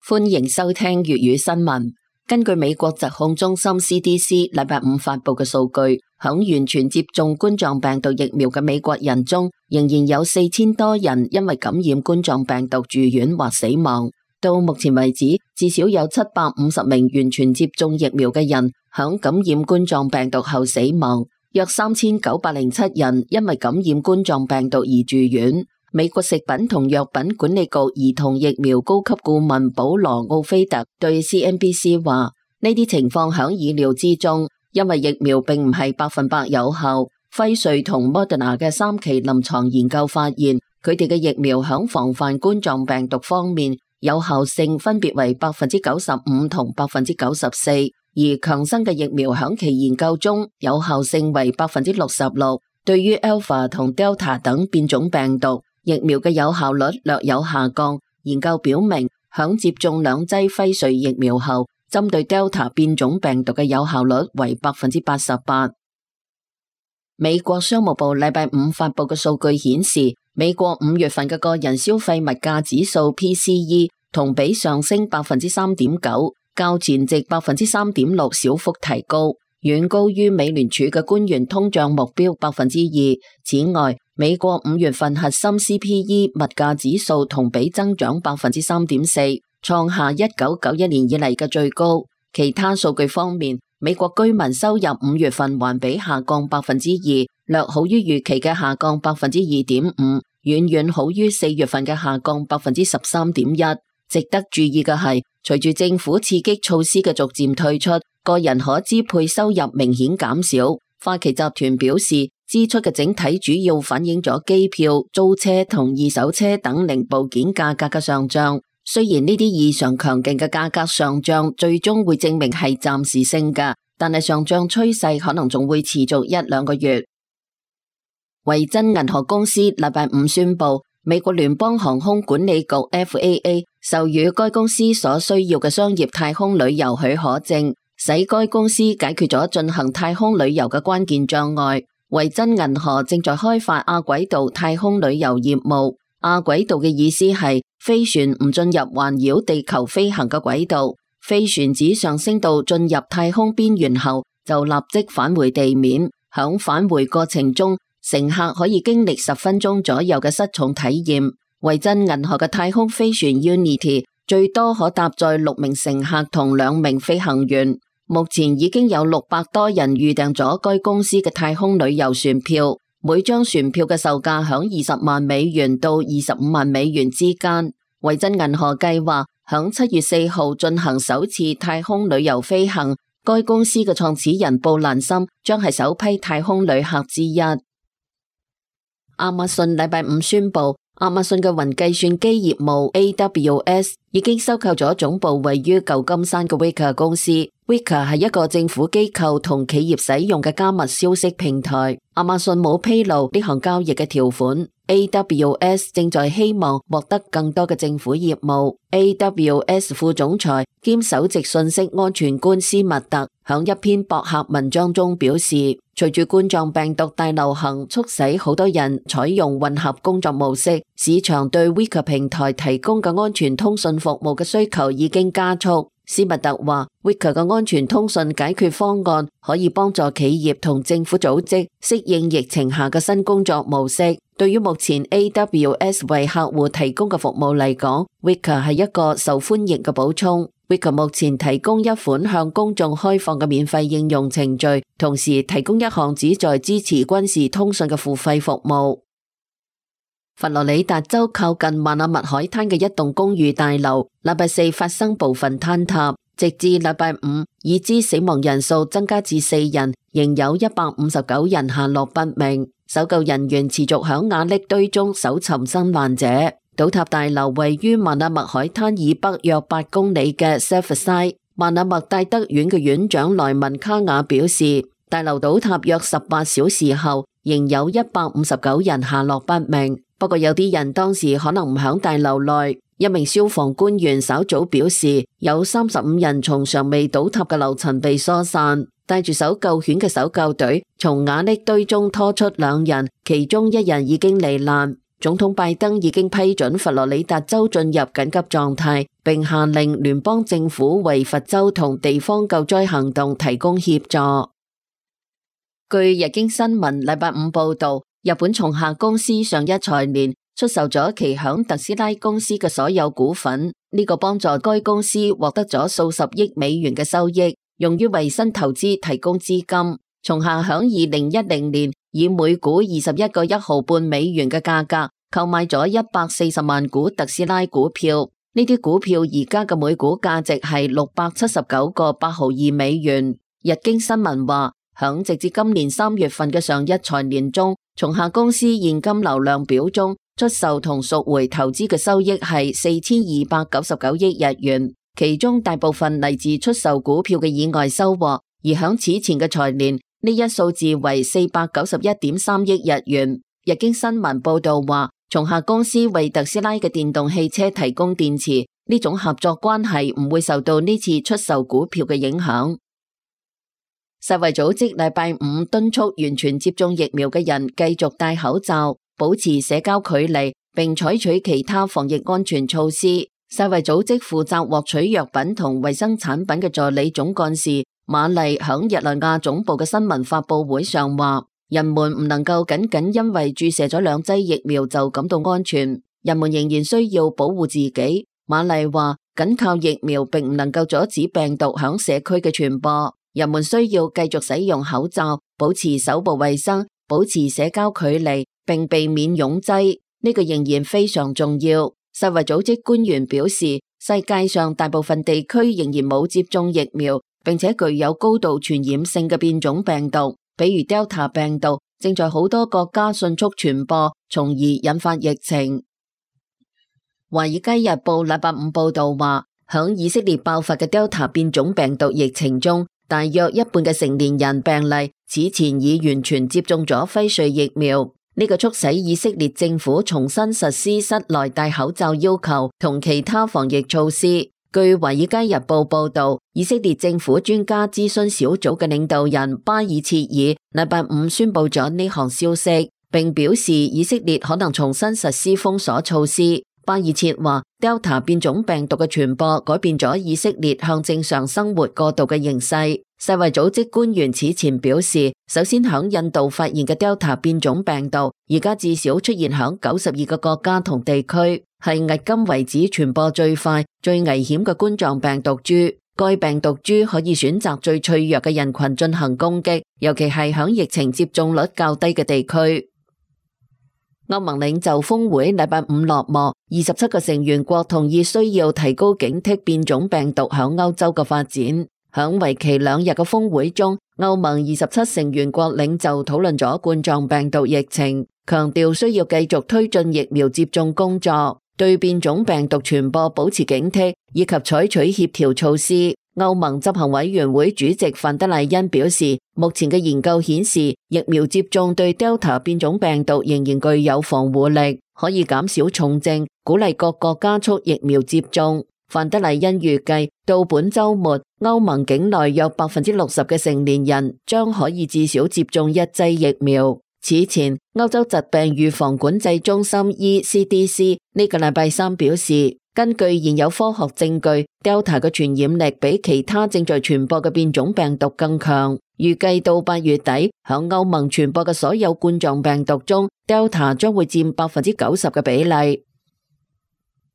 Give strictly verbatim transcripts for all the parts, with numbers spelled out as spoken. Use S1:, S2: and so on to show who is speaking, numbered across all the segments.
S1: 歡迎收聽粵語新聞。根據美國疾控中心 C D C 禮拜五發佈嘅數據，響完全接種冠狀病毒疫苗嘅美國人中，仍然有四千多人因為感染冠狀病毒住院或死亡。到目前為止，至少有七百五十名完全接種疫苗嘅人響感染冠狀病毒後死亡，約三千九百零七人因為感染冠狀病毒而住院。美國食品同藥品管理局兒童疫苗高級顧問保羅奧菲特對 C N B C 話：呢啲情況響意料之中，因為疫苗並唔係百分百有效。輝瑞同 Moderna 嘅三期臨床研究發現，佢哋嘅疫苗響防範冠狀病毒方面有效性分別為百分之九十五同百分之九十四，而強生嘅疫苗響其研究中有效性為百分之六十六。對於 Alpha 同 Delta 等變種病毒，疫苗嘅有效率略有下降。研究表明，響接種兩劑輝瑞疫苗後，針對 Delta 變種病毒嘅有效率為百分之八十八。美國商務部禮拜五發佈嘅數據顯示，美國五月份嘅個人消費物價指數 P C E 同比上升百分之三點九，較前值百分之三點六小幅提高，遠高於美聯儲嘅官員通脹目標百分之二。此外，美國五月份核心 C P E 物價指數同比增長百分之三點四，創下一九九一年以嚟嘅最高。其他數據方面，美國居民收入五月份環比下降百分之二，略好於預期嘅下降百分之二點五，遠遠好於四月份嘅下降百分之十三點一。值得注意嘅係，隨住政府刺激措施嘅逐漸退出，個人可支配收入明顯減少。花旗集團表示，支出嘅整體主要反映咗機票、租車同二手車等零部件價格嘅上漲。雖然呢啲異常強勁嘅價格上漲最終會證明係暫時性嘅，但係上漲趨勢可能仲會持續一兩個月。維珍銀河公司禮拜五宣布，美國聯邦航空管理局 F A A 授予該公司所需要嘅商業太空旅遊許可證，使該公司解決咗進行太空旅遊嘅關鍵障礙。維珍銀河正在開發亞軌道太空旅遊業務。亞軌道嘅意思係飛船唔進入環繞地球飛行嘅軌道，飛船只上升到進入太空邊緣後就立即返回地面。響返回過程中，乘客可以經歷十分鐘左右嘅失重體驗。維珍銀河嘅太空飛船 Unity 最多可搭載六名乘客同兩名飛行員。目前已經有六百多人預訂咗該公司嘅太空旅遊船票，每張船票嘅售價響二十萬美元到二十五萬美元之間。維珍銀河計劃響七月四號進行首次太空旅遊飛行，該公司嘅創始人布蘭森將係首批太空旅客之一。亞馬遜禮拜五宣布，亞馬遜嘅雲計算機業務 A W S 已經收購咗總部位於舊金山嘅 Wickr 公司。Wickr 係一個政府機構同企業使用嘅加密消息平台。亞馬遜冇披露呢項交易嘅條款。A W S 正在希望獲得更多嘅政府業務。A W S 副總裁兼首席信息安全官斯密特響一篇博客文章中表示，隨住冠狀病毒大流行促使好多人採用混合工作模式，市場對 Wickr 平台提供嘅安全通訊服務嘅需求已經加速。斯密特話 Wickr 嘅安全通訊解決方案可以幫助企業同政府組織適應疫情下嘅新工作模式。對於目前 A W S 為客戶提供嘅服務嚟講， Wickr 係一個受歡迎嘅補充。Wickr 目前提供一款向公眾開放嘅免費應用程序，同時提供一項旨在支持軍事通訊嘅付費服務。佛羅里達州靠近曼阿密海灘嘅一棟公寓大樓，禮拜四發生部分坍塌，直至禮拜五，已知死亡人數增加至四人，仍有一百五十九人下落不明。搜救人員持續響瓦礫堆中搜尋生還者。倒塌大樓位於曼阿密海灘以北約八公里嘅 Surfside。曼阿密戴德院嘅院長萊文卡雅表示，大樓倒塌約十八小時後，仍有一百五十九人下落不明。不過有啲人當時可能唔響大樓內。一名消防官員稍早表示，有三十五人從尚未倒塌嘅樓層被疏散，帶住搜救犬嘅搜救隊從瓦礫堆中拖出兩人，其中一人已經罹難。總統拜登已經批准佛羅里達州進入緊急狀態，並下令聯邦政府為佛州同地方救災行動提供協助。據日經新聞禮拜五報道，日本松下公司上一財年出售咗其響特斯拉公司嘅所有股份，呢個幫助該公司獲得咗數十億美元嘅收益，用於為新投資提供資金。松下響二零一零年以每股二十一個一毫半美元嘅價格購買咗一百四十萬股特斯拉股票，呢啲股票而家嘅每股價值係六百七十九個八毫二美元。日經新聞話，響直至今年三月份嘅上一財年中，松下公司現金流量表中出售同贖回投資嘅收益係四千二百九十九億日元，其中大部分嚟自出售股票嘅意外收穫，而響此前嘅財年呢一數字為四百九十一點三億日元。日經新聞報道話，松下公司為特斯拉嘅電動汽車提供電池，呢種合作關係唔會受到呢次出售股票嘅影響。世衛組織禮拜五敦促完全接種疫苗嘅人繼續戴口罩、保持社交距離，並採取其他防疫安全措施。世衛組織負責獲取藥品同衛生產品嘅助理總幹事瑪麗響日內瓦總部嘅新聞發佈會上話，人們唔能夠僅僅因為注射咗兩劑疫苗就感到安全，人們仍然需要保護自己。瑪麗話，僅靠疫苗並唔能夠阻止病毒響社區嘅傳播。人們需要繼續使用口罩，保持手部衛生，保持社交距離，並避免擁擠，呢個仍然非常重要。世衛組織官員表示，世界上大部分地區仍然冇接種疫苗，並且具有高度傳染性嘅變種病毒，比如 Delta 病毒，正在好多國家迅速傳播，從而引發疫情。華爾街日報禮拜五報道話，響以色列爆發嘅 Delta 變種病毒疫情中，大約一半嘅成年人病例此前已完全接種咗輝瑞疫苗，呢個促使以色列政府重新實施室內戴口罩要求同其他防疫措施。據華爾街日報報道，以色列政府專家諮詢小組嘅領導人巴爾切爾禮拜五宣布咗呢項消息，並表示以色列可能重新實施封鎖措施。巴爾切話 Delta 變種病毒嘅傳播改變咗以色列向正常生活過渡嘅形勢。世衛組織官員此前表示，首先響印度發現嘅 Delta 變種病毒，而家至少出現響九十二個國家同地區，係迄今為止傳播最快、最危險嘅冠狀病毒株。該病毒株可以選擇最脆弱嘅人群進行攻擊，尤其係響疫情接種率較低嘅地區。歐盟領袖峰會禮拜五落幕，二十七個成員國同意需要提高警惕變種病毒響歐洲嘅發展。響為期兩日嘅峰會中，歐盟二十七成員國領袖討論咗冠狀病毒疫情，強調需要繼續推進疫苗接種工作，對變種病毒傳播保持警惕，以及採取協調措施。歐盟執行委員會主席范德賴恩表示，目前嘅研究顯示，疫苗接種對 Delta 變種病毒仍然具有防護力，可以減少重症，鼓勵各國加速疫苗接種。范德賴恩預計到本周末，歐盟境內約百分之六十嘅成年人將可以至少接種一劑疫苗。此前，歐洲疾病預防管制中心 E C D C 呢個禮拜三表示，根據現有科學證據 ，Delta 嘅傳染力比其他正在傳播嘅變種病毒更強。預計到八月底，響歐盟傳播嘅所有冠狀病毒中 ，Delta 將會佔百分之九十嘅比例。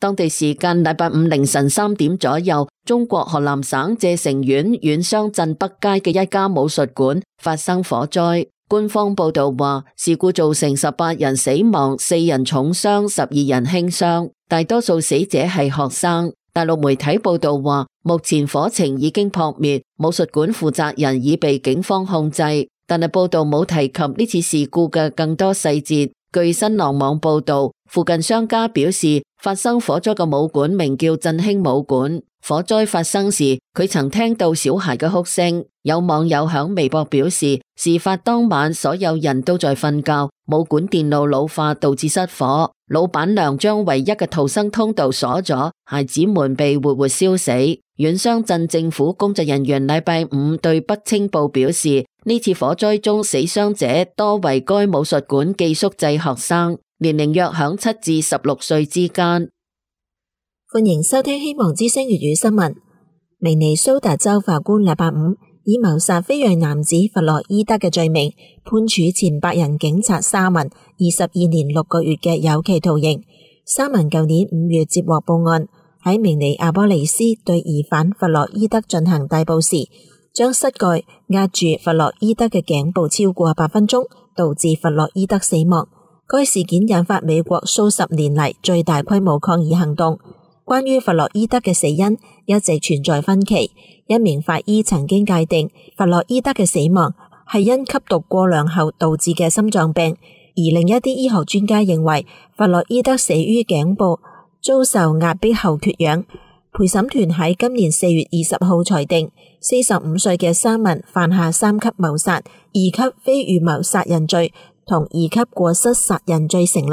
S1: 當地時間禮拜五凌晨三點左右，中國河南省謝城縣縣雙鎮北街嘅一家武術館發生火災。官方報道話，事故造成十八人死亡，四人重傷，十二人輕傷，大多數死者係學生。大陸媒體報道話，目前火情已經撲滅，武術館負責人已被警方控制，但係報道冇提及呢次事故嘅更多細節。據新浪網報道，附近商家表示，發生火災嘅武館名叫振興武館。火災發生時，佢曾聽到小孩嘅哭聲。有網友響微博表示，事發當晚所有人都在瞓覺，武館電路老化導致失火，老闆娘將唯一嘅逃生通道鎖咗，孩子們被活活燒死。縣雙鎮政府工作人員禮拜五對北青報表示，呢次火災中死傷者多為該武術館寄宿制學生，年齡約響七至十六歲之間。
S2: 歡迎收聽希望之聲粵語新聞。明尼蘇達州法官禮拜五以謀殺非裔男子弗洛伊德嘅罪名，判處前白人警察沙文二十二年六個月嘅有期徒刑。沙文舊年五月接獲報案，喺明尼阿波利斯對疑犯弗洛伊德進行逮捕時，將膝蓋壓住弗洛伊德嘅頸部超過八分鐘，導致弗洛伊德死亡。該事件引發美國數十年嚟最大規模抗議行動。關於弗洛伊德嘅死因一直存在分歧。一名法醫曾經界定弗洛伊德嘅死亡係因吸毒過量後導致嘅心臟病，而另一啲醫學專家認為弗洛伊德死於頸部遭受壓迫後缺氧。陪審團喺今年四月二十號裁定，四十五歲嘅沙文犯下三級謀殺、二級非預謀殺人罪同二級過失殺人罪成立。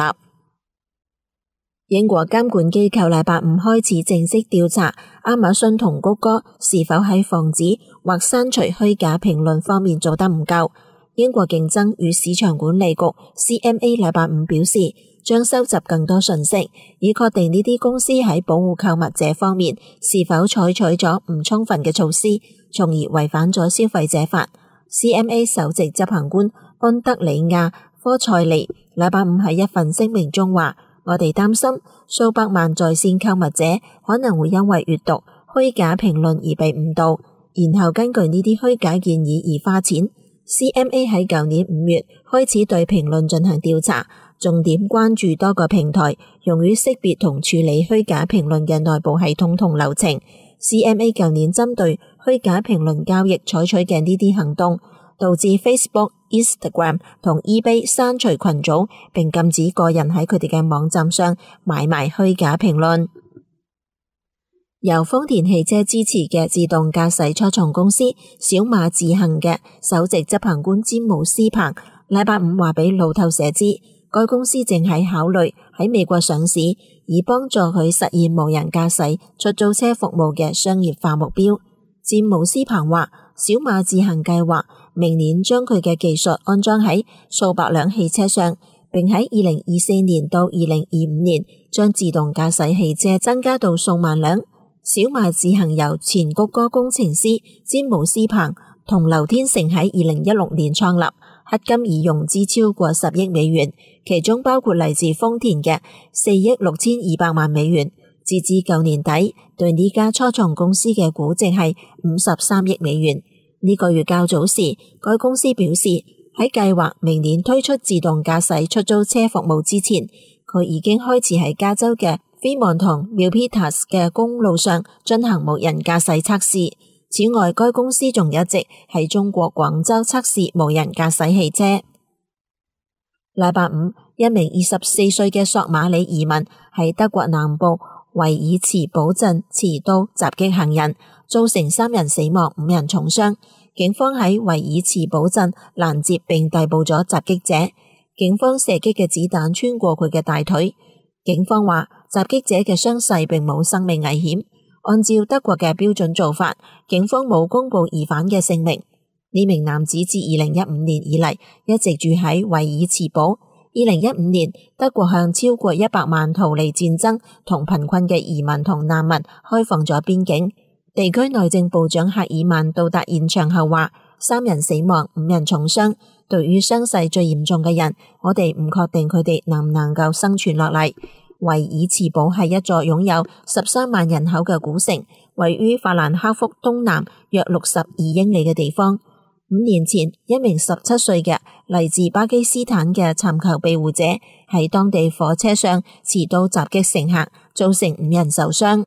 S2: 英國監管機構禮拜五開始正式調查亞馬遜同谷歌是否喺防止或刪除虛假評論方面做得唔夠。英國競爭與市場管理局 C M A 禮拜五表示，將收集更多信息，以確定呢啲公司喺保護購物者方面是否採取咗唔充分嘅措施，從而違反咗消費者法。C M A 首席執行官安德里亞科塞利禮拜五喺一份聲明中話，我哋擔心數百萬在線購物者可能會因為閱讀虛假評論而被誤導，然後根據呢啲虛假建議而花錢。C M A 喺舊年五月開始對評論進行調查，重點關注多個平台用於識別同處理虛假評論嘅內部系統同流程。C M A 舊年針對虛假評論交易採取嘅呢啲行動，導致 Facebook、Instagram 同 eBay 刪除群組，並禁止個人喺佢哋嘅網站上買賣虛假評論。由豐田汽車支持嘅自動駕駛初創公司小馬智行嘅首席執行官詹姆斯彭禮拜五話俾路透社知，該公司正喺考慮喺美國上市，以幫助佢實現無人駕駛出租車服務嘅商業化目標。詹姆斯彭話，小馬智行計劃明年將佢嘅技術安裝喺數百輛汽車上，並喺二零二四年到二零二五年將自動駕駛汽車增加到數萬輛。小馬智行由前谷歌工程師詹姆斯彭同劉天成喺二零一六年創立，迄今已融資超過十億美元，其中包括嚟自豐田嘅四億六千二百萬美元。截至舊年底，對呢家初創公司嘅估值係五十三億美元。呢個月較早時，該公司表示喺計劃明年推出自動駕駛出租車服務之前，佢已經開始喺加州嘅飛望同 Milpitas 嘅公路上進行無人駕駛測試。此外，該公司仲一直喺中國廣州測試無人駕駛汽車。禮拜五，一名二十四歲嘅索馬里移民喺德國南部維爾茨堡鎮持刀襲擊行人，造成三人死亡、五人重傷。警方喺維爾茨堡鎮攔截並逮捕咗襲擊者。警方射擊嘅子彈穿過佢嘅大腿。警方話，襲擊者嘅傷勢並冇生命危險。按照德國嘅標準做法，警方冇公布疑犯嘅姓名。呢名男子自二零一五年以嚟一直住喺維爾茨堡。二零一五年，德國向超過一百萬逃離戰爭同貧困嘅移民同難民開放咗邊境。地區內政部長赫爾曼到達現場後話，三人死亡，五人重傷。對於傷勢最嚴重嘅人，我哋唔確定佢哋能唔能夠生存落嚟。維爾茨堡係一座擁有十三萬人口嘅古城，位於法蘭克福東南約六十二英里嘅地方。五年前，一名十七歲嘅嚟自巴基斯坦嘅尋求庇護者喺當地火車上持刀襲擊乘客，造成五人受傷。